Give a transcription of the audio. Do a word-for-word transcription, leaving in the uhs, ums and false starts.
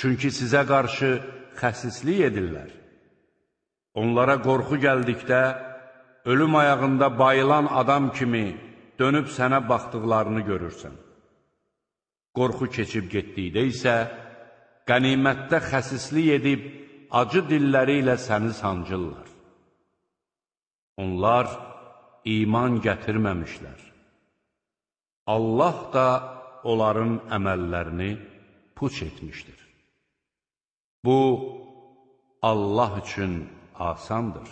Çünki sizə qarşı xəsislik edirlər. Onlara qorxu gəldikdə, ölüm ayağında bayılan adam kimi dönüb sənə baxdıqlarını görürsən. Qorxu keçib getdikdə isə, qənimətdə xəsislik edib, acı dilləri ilə səni sancırlar. Onlar iman gətirməmişlər. Allah da onların əməllərini puç etmişdir. Bu, Allah üçün asandır.